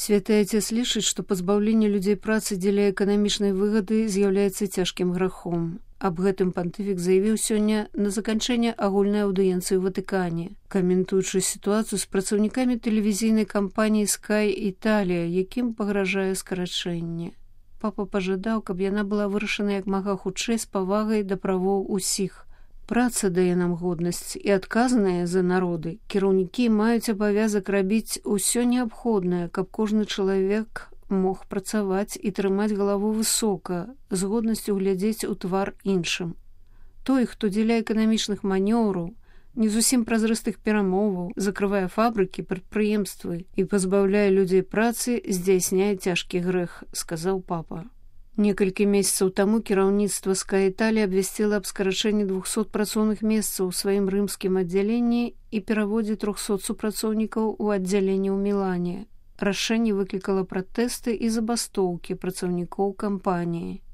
Святы Отец лічыць, што пазбаўленне людзей працы дзеля эканамічнай выгады з'яўляецца цяжкім грахом. Аб гэтым пантыфік заявіў сёння на заканчэнне агульнай аўдыенцыі ў Ватыкане, каментуючы сітуацыю з працаўнікамі тэлевізійнай кампаніі Sky Italia, якім пагражае скарачэнне. Папа пажадаў, каб яна была вырашана як мага хутчэй з павагай да правоў усіх. Праца дае нам годнасць і адказныя за народы. Кіраўнікі маюць абавязак рабіць усё неабходнае, каб кожны чалавек мог працаваць і трымаць галаву высока, з годнасцю глядзець у твар іншым. Той, хто дзеля эканамічных манеўраў, не зусім празрыстых перамоваў, закрывае фабрыкі, прадпрыемствы і пазбаўляе людзей працы, здзяйсняе цяжкі грэх, сказаў папа. Некалькі месяцаў таму кіраўніцтва Sky Italia абвясціла аб скарачэнні 200 працоўных месцаў у сваім рымскім аддзяленні і пераводзе 300 супрацоўнікаў у аддзяленне ў Мілане. Рашэнне выклікала пратэсты і забастоўкі працаўнікоў кампаніі.